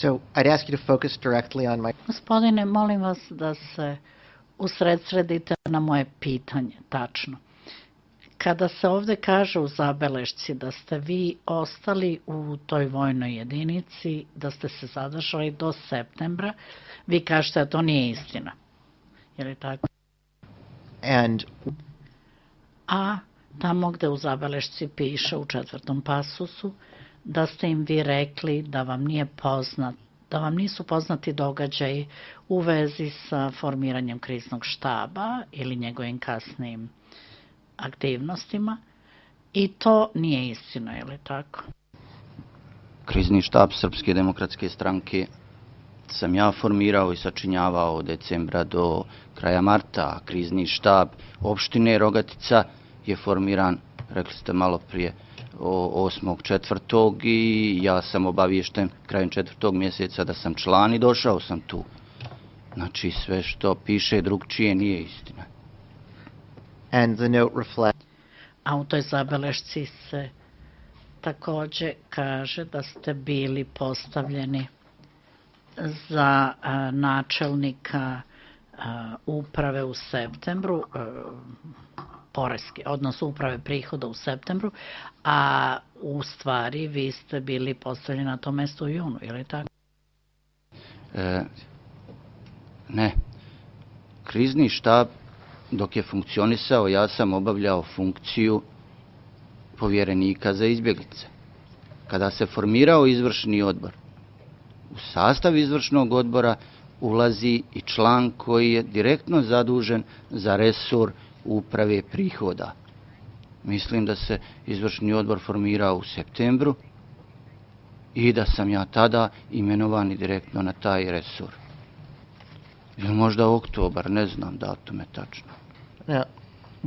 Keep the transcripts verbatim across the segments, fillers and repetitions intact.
So I'd ask you to focus directly on my... Gospodine, molim vas da se usredsredite na moje pitanje, tačno. Kada se ovde kaže u zabelešci da ste vi ostali u toj vojnoj jedinici, da ste se zadržali do septembra, vi kažete da to nije istina. Je li tako? And... A tamo gde u zabelešci piše u četvrtom pasusu da ste im vi rekli da vam nije poznat, da vam nisu poznati događaji u vezi sa formiranjem kriznog štaba ili njegovim kasnijim aktivnostima, i to nije istina, je li tako? Krizni štab Srpske demokratske stranke sam ja formirao i sačinjavao od decembra do kraja marta, a krizni štab opštine Rogatica je formiran, rekli ste malo prije, osmog četvrtog i ja sam obaviješten krajem četvrtog mjeseca da sam član i došao sam tu. Znači sve što piše drugčije nije istina. And the note reflects... A u toj zabelešci se takođe kaže da ste bili postavljeni za a, načelnika a, uprave u septembru, a, poreske, odnosno uprave prihoda u septembru, a u stvari vi ste bili postavljeni na to mesto u junu, je li tako? E, ne. Krizni štab, dok je funkcionisao, ja sam obavljao funkciju povjerenika za izbjeglice. Kada se formirao izvršni odbor, u sastav izvršnog odbora ulazi i član koji je direktno zadužen za resor uprave prihoda. Mislim da se izvršni odbor formirao u septembru i da sam ja tada imenovan direktno na taj resor. Ili možda oktobar, ne znam datume tačno. Now,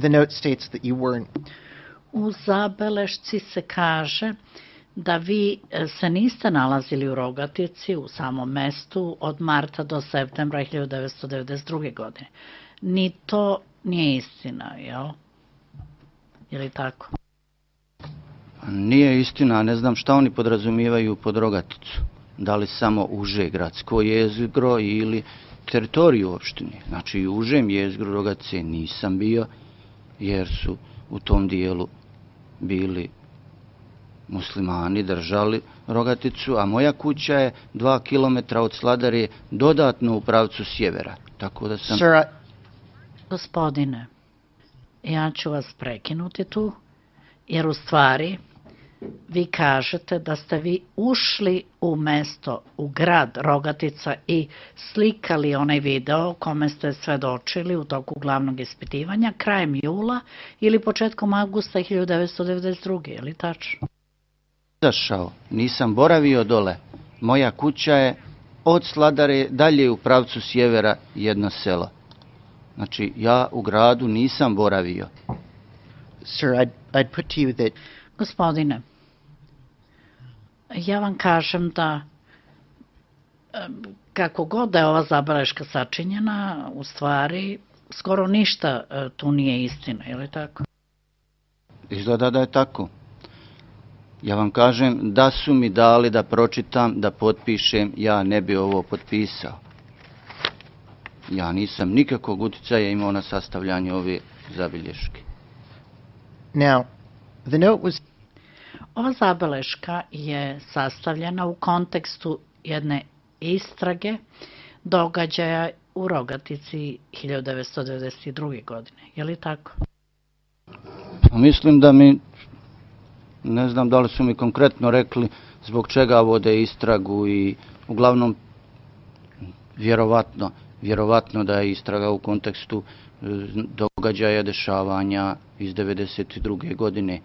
the note states that you weren't... U zabelešci se kaže da vi se niste nalazili u Rogatici, u samom mestu, od marta do septembra hiljadu devetsto devedeset druge. godine. Ni to nije istina, jel? Je li tako? Nije istina, ne znam šta oni podrazumijevaju pod Rogaticu. Da li samo uže gradsko jezgro ili teritoriju opštine. Znači u užem jezgru Rogatice nisam bio, jer su u tom dijelu bili muslimani, držali Rogaticu, a moja kuća je dva kilometra od Sladare dodatno u pravcu sjevera. Tako da sam... Sir, I... Gospodine, ja ću vas prekinuti tu, jer u stvari vi kažete da ste vi ušli u mesto, u grad Rogatica i slikali onaj video kome ste svedočili u toku glavnog ispitivanja krajem jula ili početkom avgusta hiljadu devetsto devedeset druge. Je li tačno? Zašao, nisam boravio dole. Moja kuća je od Sladare dalje u pravcu sjevera jedno selo. Znači, ja u gradu nisam boravio. Sir, I'd, I'd put to you that... Gospodine, ja vam kažem da kako god da je ova zabeleška sačinjena, u stvari skoro ništa tu nije istina, je li tako? Izgleda da je tako. Ja vam kažem da su mi dali da pročitam, da potpišem, ja ne bi ovo potpisao. Ja nisam nikakvog uticaja imao na sastavljanje ove zabilješke. Now, the note was... Ova zabeleška je sastavljena u kontekstu jedne istrage događaja u Rogatici hiljadu devetsto devedeset druge. godine. Je li tako? Pa mislim da mi, ne znam da li su mi konkretno rekli zbog čega vode istragu i uglavnom vjerovatno, vjerovatno da je istraga u kontekstu događaja, dešavanja iz devedeset druge. godine.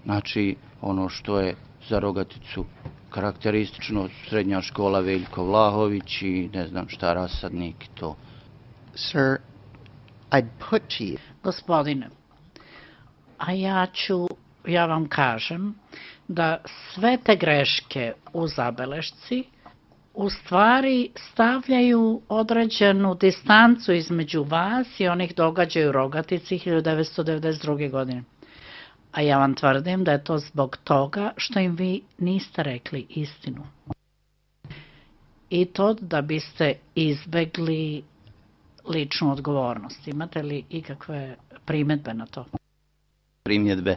Znači, ono što je za Rogaticu karakteristično, srednja škola Veljko Vlahović i ne znam šta, rasadnik i to. Sir, I'd put to you... Gospodine, a ja ću, ja vam kažem da sve te greške u zabelešci u stvari stavljaju određenu distancu između vas i onih događaja u Rogatici hiljadu devetsto devedeset druge. godine. A ja vam tvrdim da je to zbog toga što im vi niste rekli istinu. i to da biste izbegli ličnu odgovornost. Imate li ikakve primjedbe na to? Primjedbe.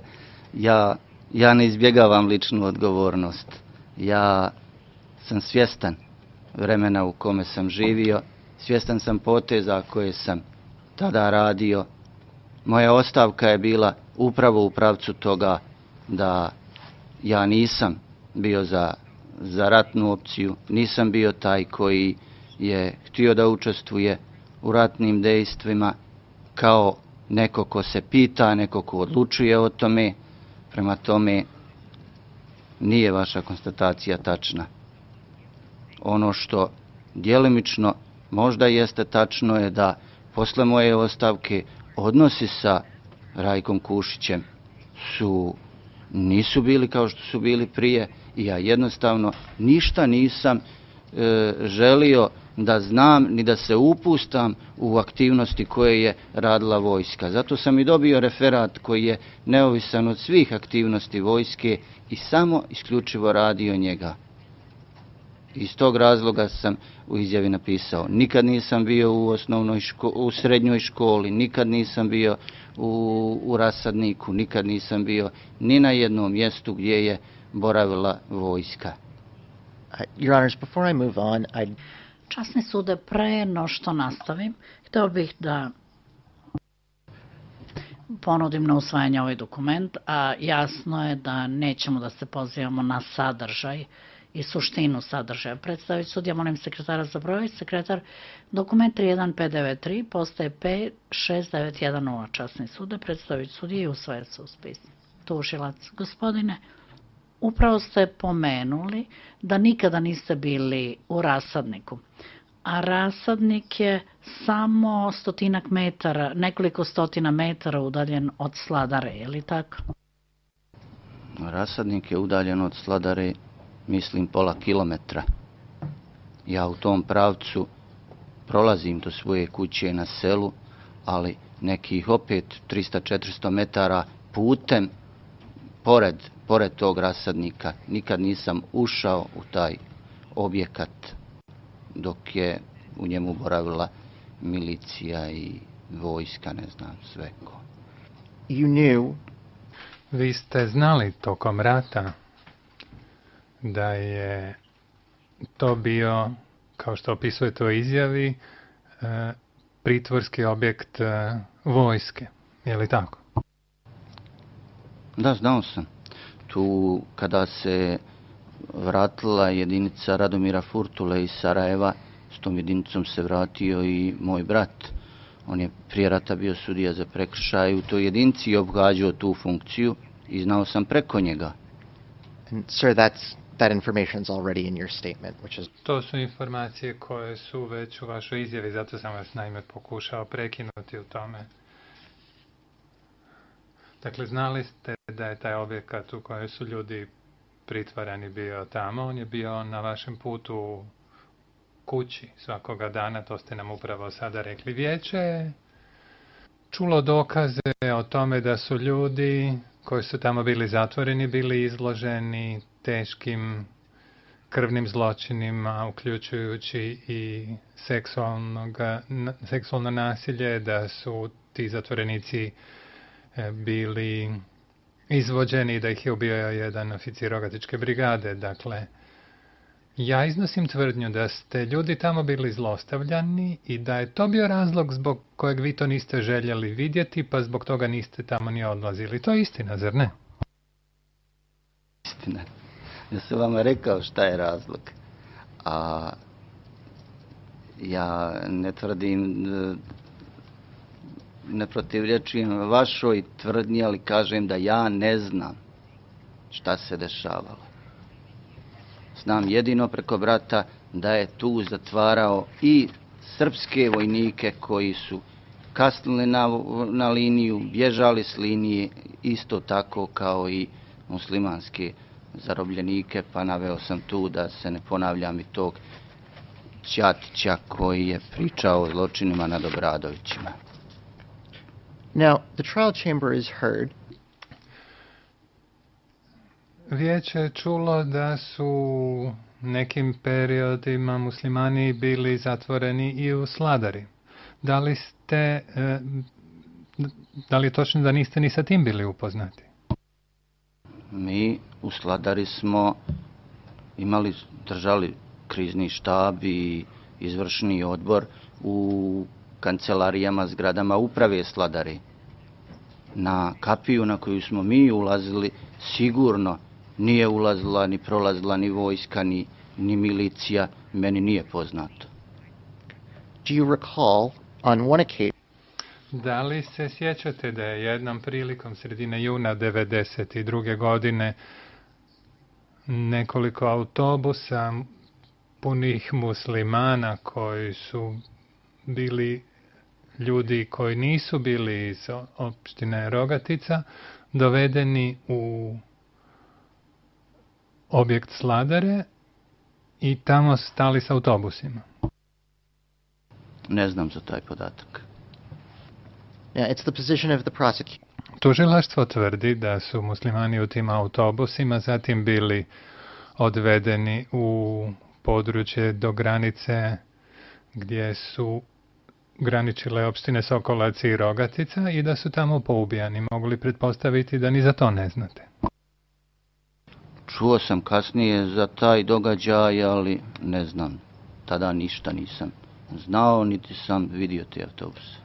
Ja, ja ne izbjegavam ličnu odgovornost. Ja sam svjestan vremena u kome sam živio, svjestan sam poteza koje sam tada radio. Moja ostavka je bila upravo u pravcu toga da ja nisam bio za, za ratnu opciju, nisam bio taj koji je htio da učestvuje u ratnim dejstvima kao neko ko se pita, neko ko odlučuje o tome. Prema tome, nije vaša konstatacija tačna. Ono što djelimično možda jeste tačno je da posle moje ostavke odnosi sa Rajkom Kušićem su, nisu bili kao što su bili prije i ja jednostavno ništa nisam e, želio da znam ni da se upustam u aktivnosti koje je radila vojska. Zato sam i dobio referat koji je neovisan od svih aktivnosti vojske i samo isključivo radio njega. Iz tog razloga sam u izjavi napisao, nikad nisam bio u osnovnoj ško, u srednjoj školi, nikad nisam bio u, u rasadniku, nikad nisam bio ni na jednom mjestu gdje je boravila vojska. Uh, Your Honors, before I move on, I... Časni sude, pre no što nastavim, htio bih da ponudim na usvajanje ovaj dokument, a jasno je da nećemo da se pozivamo na sadržaj i suštinu sadržaja. Predstaviti sudija, molim sekretara za broj. Sekretar, dokument tri jedan pet devet tri postaje P šest devet jedan nula. Časni sude, predstaviti sudija i usvaja se u spis. Tužilac, gospodine, upravo ste pomenuli da nikada niste bili u rasadniku. A rasadnik je samo stotinak metara, nekoliko stotina metara udaljen od Sladare, je li tako? Rasadnik je udaljen od Sladare, mislim, pola kilometra. Ja u tom pravcu prolazim do svoje kuće na selu, ali nekih opet tristo do četiristo metara putem, pored, pored tog rasadnika. Nikad nisam ušao u taj objekat dok je u njemu boravila milicija i vojska, ne znam, sve ko. You knew... Vi ste znali tokom rata da je to bio, kao što opisujete u izjavi, pritvorski objekt vojske. Je li tako? Da, znao sam. Tu kada se vratila jedinica Radomira Furtule iz Sarajeva, s tom jedinicom se vratio i moj brat. On je prije rata bio sudija za prekršaj u toj jedinici i obgađao tu funkciju i znao sam preko njega. And, sir, that's, that information is already in your statement, which is... To su informacije koje su već u vašoj izjavi, zato sam vas naime pokušao prekinuti u tome. Dakle, znali ste da je taj objekat u kojem su ljudi pritvarani bio tamo, on je bio na vašem putu kući svakoga dana, to ste nam upravo sada rekli. Vijeće je čulo dokaze o tome da su ljudi koji su tamo bili zatvoreni bili izloženi teškim krvnim zločinima, uključujući i seksualno nasilje, da su ti zatvorenici bili izvođeni, da ih je ubio jedan oficir Rogatičke brigade. Dakle, ja iznosim tvrdnju da ste ljudi tamo bili zlostavljani i da je to bio razlog zbog kojeg vi to niste željeli vidjeti, pa zbog toga niste tamo ni odlazili. To je istina, zar ne? Istina. Ja sam vama rekao šta je razlog. A ja ne tvrdim, ne protivlječujem vašoj tvrdnji, ali kažem da ja ne znam šta se dešavalo. Znam jedino preko brata da je tu zatvarao i srpske vojnike koji su kasnili na, na liniju, bježali s linije, isto tako kao i muslimanske zarobljenike, pa naveo sam tu da se ne ponavljam i tog Ćatića koji je pričao o zločinima nad Obradovićima. Now, the trial chamber is heard. Vijeće je čulo da su nekim periodima muslimani bili zatvoreni i u Sladari. Da li ste, e, da li je točno da niste ni sa tim bili upoznati? Mi u Sladari smo imali, držali krizni štab i izvršni odbor u kancelarijama, zgradama uprave Sladari. Na kapiju na koju smo mi ulazili sigurno nije ulazila ni prolazila ni vojska, ni, ni milicija, meni nije poznato. Do you recall on one occasion Da li se sjećate da je jednom prilikom sredine juna devedeset druge godine nekoliko autobusa punih muslimana koji su bili ljudi koji nisu bili iz opštine Rogatica dovedeni u objekt Sladare i tamo stali s autobusima? Ne znam za taj podatak. Yeah, it's the position of the prosecutor. Tužilaštvo tvrdi da su muslimani u tim autobusima zatim bili odvedeni u područje do granice gdje su graničile opštine Sokolac i Rogatica i da su tamo poubijani. Mogu li pretpostaviti da ni za to ne znate? Čuo sam kasnije za taj događaj, ali ne znam. Tada ništa nisam znao, niti sam vidio te autobuse.